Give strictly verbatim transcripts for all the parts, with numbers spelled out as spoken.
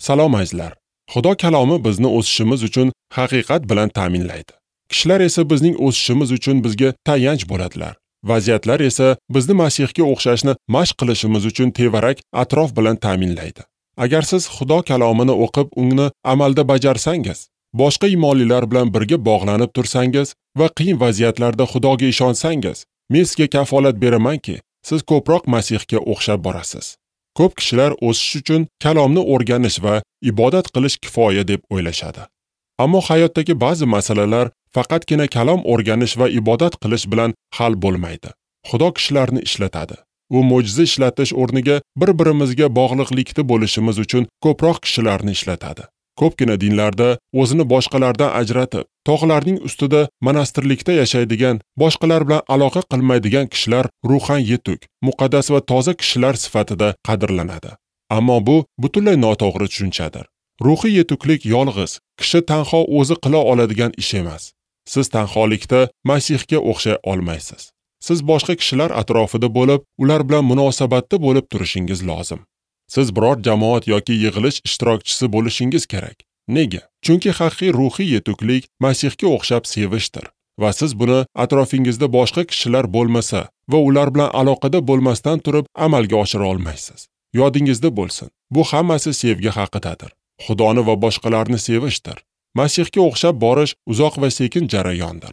Salom azizlar. Xudo kalomi bizni o'sishimiz uchun haqiqat bilan ta'minlaydi. Kishilar esa bizning o'sishimiz uchun bizga tayanch bo'ladilar. Vaziyatlar esa bizni Masihga o'xshashni mashq qilishimiz uchun tevarak atrof bilan ta'minlaydi. Agar siz Xudo kalomini o'qib, uni amalda bajarsangiz, boshqa iymonlilar bilan birga bog'lanib tursangiz va qiyin vaziyatlarda Xudoga ishonsangiz, men sizga kafolat beramanki, siz ko'proq Masihga o'xshab borasiz. Ko'p kishilar o'sish uchun kalomni o'rganish va ibodat qilish kifoya deb o'ylashadi. Ammo hayotdagi ba'zi masalalar faqatgina kalom o'rganish va ibodat qilish bilan hal bo'lmaydi. Xudo kishilarni ishlatadi. U mo'jiza ishlatish o'rniga bir-birimizga bog'liqlikda bo'lishimiz uchun ko'proq kishilarni ishlatadi. Ko'pgina dinlarda o'zini boshqalardan ajratib, tog'larning ustida monastirlikda yashaydigan, boshqalar bilan aloqa qilmaydigan kishilar ruhan yetuk, muqaddas va toza kishilar sifatida qadrlanadi. Ammo bu butunlay noto'g'ri tushunchadir. Ruhiy yetuklik yolg'iz, kishi tanho o'zi qila oladigan ish emas. Siz tanholikda Masihga o'xshay olmaysiz. Siz boshqa kishilar atrofida bo'lib, ular bilan munosabatda bo'lib turishingiz lozim. Siz biror jamoat yoki yig'ilish ishtirokchisi bo'lishingiz kerak. Nega? Chunki haqiqiy ruhiy yetuklik Masihga o'xshab sevishdir va siz buni atrofingizda boshqa kishilar bo'lmasa va ular bilan aloqada bo'lmasdan turib amalga oshira olmaysiz. Yodingizda bo'lsin, bu hammasi sevgi haqidadir. Xudoni va boshqalarni sevishdir. Masihga o'xshab borish uzoq va sekin jarayondir.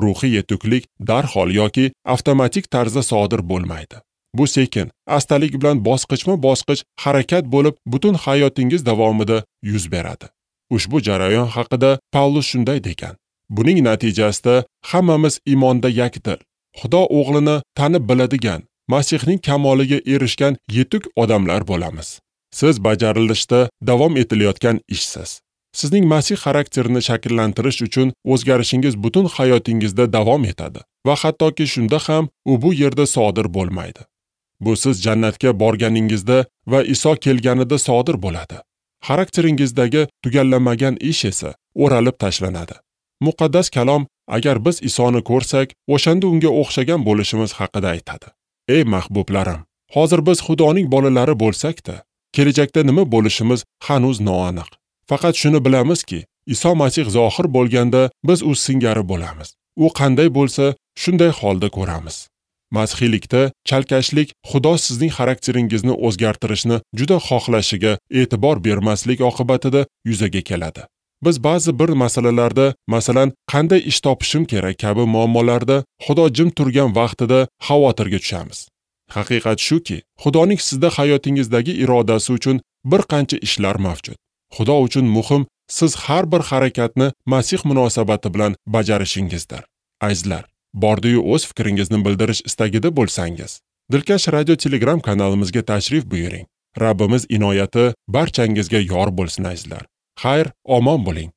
Ruhiy yetuklik darhol yoki avtomatik tarzda sodir bo'lmaydi. Bu sekin, astalik bilan bosqichma-bosqich harakat bo'lib, butun hayotingiz davomida yuz beradi. Ushbu jarayon haqida Pavlus shunday degan: buning natijasida hammamiz iymonda yakdil, Xudo o'g'lini tanib biladigan, Masihning kamoliga erishgan yetuk odamlar bo'lamiz. Siz bajarilishda davom etilayotgan ishsiz. Sizning Masih xarakterini shakllantirish uchun o'zgarishingiz butun hayotingizda davom etadi va hattoki shunda ham u bu yerda sodir bo'lmaydi. Bu siz jannatga borganingizda va Iso kelganida sodir bo'ladi. Xarakteringizdagi tugallanmagan ish esa o'ralib tashlanadi. Muqaddas kalom agar biz Isoni ko'rsak, o'shanda unga o'xshagan bo'lishimiz haqida aytadi. Ey mahbublarim, hozir biz Xudoning bolalari bo'lsak-da, kelajakda nima bo'lishimiz hanuz noaniq. Faqat shuni bilamizki, Iso Masih zohir bo'lganda biz u singari bo'lamiz. U qanday bo'lsa, shunday holda ko'ramiz. Masihiylikda chalkashlik Xudo sizning xarakteringizni o'zgartirishni juda xohlashiga e'tibor bermaslik oqibatida yuzaga keladi. Biz ba'zi bir masalalarda, masalan, qanday ish topishim kerak kabi muammolarda Xudo jim turgan vaqtida xavotirga tushamiz. Haqiqat shuki, Xudoning sizda hayotingizdagi irodasi uchun bir qancha ishlar mavjud. Xudo uchun muhim siz har bir harakatni Masih munosabati bilan bajarishingizdir. Azizlar, bordiyu o'z fikringizni bildirish istagida bo'lsangiz, Dilkash radio Telegram kanalimizga tashrif buyuring. Rabbimiz inoyati barchangizga yor bo'lsin azizlar. Xayr, omon bo'ling.